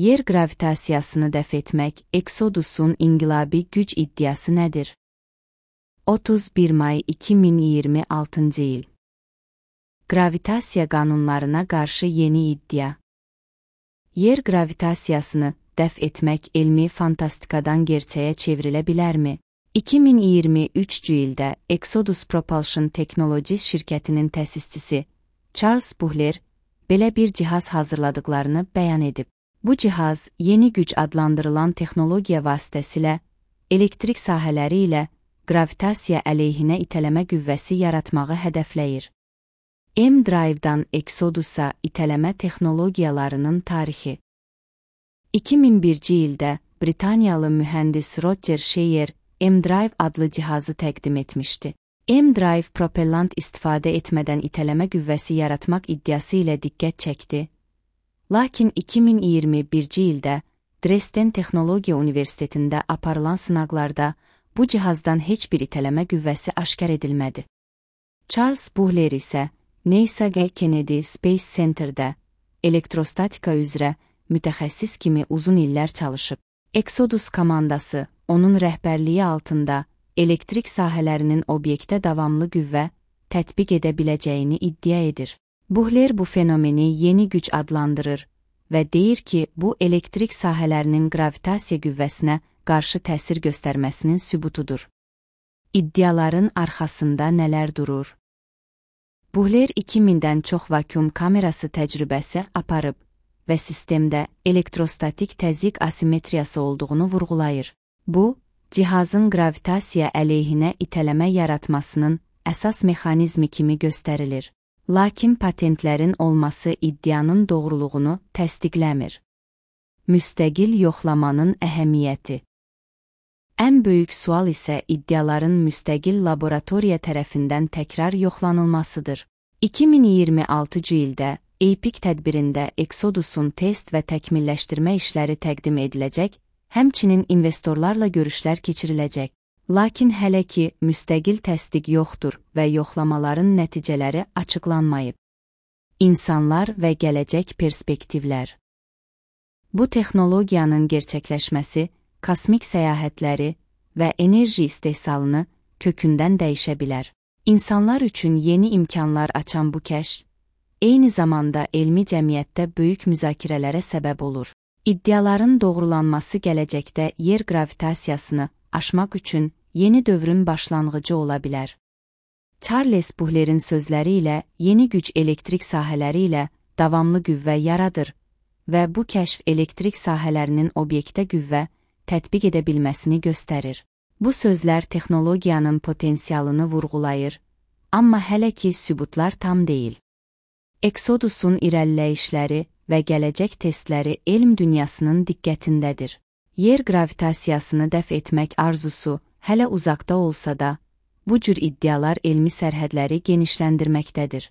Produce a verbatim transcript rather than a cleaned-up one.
Yer gravitasiyasını dəf etmək Exodus-un inqilabi güc iddiası nədir? otuz bir may iki min iyirmi altıncı il. Gravitasiya qanunlarına qarşı yeni iddia. Yer gravitasiyasını dəf etmək elmi fantastikadan gerçəyə çevrilə bilərmi? iki min iyirmi üçüncü ildə Exodus Propulsion Technologies şirkətinin təsisçisi Charles Buhler belə bir cihaz hazırladıqlarını bəyan edib. Bu cihaz yeni güc adlandırılan texnologiya vasitəsilə elektrik sahələri ilə gravitasiya əleyhinə itələmə qüvvəsi yaratmağı hədəfləyir. M-Drive-dan Exodus-a itələmə texnologiyalarının tarixi. iki min birinci ildə Britaniyalı mühəndis Roger Sheyer M-Drive adlı cihazı təqdim etmişdi. M-Drive propellant istifadə etmədən itələmə qüvvəsi yaratmaq iddiası ilə diqqət çəkdi. Lakin iki min iyirmi birinci ildə Dresden Texnologiya Universitetində aparılan sınaqlarda bu cihazdan heç bir itələmə qüvvəsi aşkar edilmədi. Charles Buhler isə NASA Kennedy Space Center-də elektrostatika üzrə mütəxəssis kimi uzun illər çalışıb. Exodus komandası onun rəhbərliyi altında elektrik sahələrinin obyektə davamlı qüvvə tətbiq edə biləcəyini iddia edir. Buhler bu fenomeni yeni güc adlandırır və deyir ki, bu elektrik sahələrinin gravitasiya qüvvəsinə qarşı təsir göstərməsinin sübutudur. İddiaların arxasında nələr durur? Buhler iki mindən çox vakuum kamerası təcrübəsi aparıb və sistemdə elektrostatik təzyiq asimetriyası olduğunu vurğulayır. Bu, cihazın gravitasiya əleyhinə itələmə yaratmasının əsas mexanizmi kimi göstərilir. Lakin patentlərin olması iddianın doğruluğunu təsdiqləmir. Müstəqil yoxlamanın əhəmiyyəti. Ən böyük sual isə iddiaların müstəqil laboratoriya tərəfindən təkrar yoxlanılmasıdır. iki min iyirmi altıncı ildə A P E C tədbirində Exodus-un test və təkmilləşdirmə işləri təqdim ediləcək, həmçinin investorlarla görüşlər keçiriləcək. Lakin hələ ki müstəqil təsdiq yoxdur və yoxlamaların nəticələri açıqlanmayıb. İnsanlar və gələcək perspektivlər. Bu texnologiyanın gerçəkləşməsi kosmik səyahətləri və enerji istehsalını kökündən dəyişə bilər. İnsanlar üçün yeni imkanlar açan bu kəşf, eyni zamanda elmi cəmiyyətdə böyük müzakirələrə səbəb olur. İddiaların doğrulanması gələcəkdə yer gravitasiyasını aşmaq üçün yeni dövrün başlanğıcı ola bilər. Charles Buhler'in sözləri ilə yeni güc elektrik sahələri ilə davamlı qüvvə yaradır və bu kəşf elektrik sahələrinin obyektə qüvvə tətbiq edə bilməsini göstərir. Bu sözlər texnologiyanın potensialını vurğulayır, amma hələ ki sübutlar tam deyil. Exodus-un irəliləyişləri və gələcək testləri elm dünyasının diqqətindədir. Yer gravitasiyasını dəf etmək arzusu hələ uzaqda olsa da, bu cür iddialar elmi sərhədləri genişləndirməkdədir.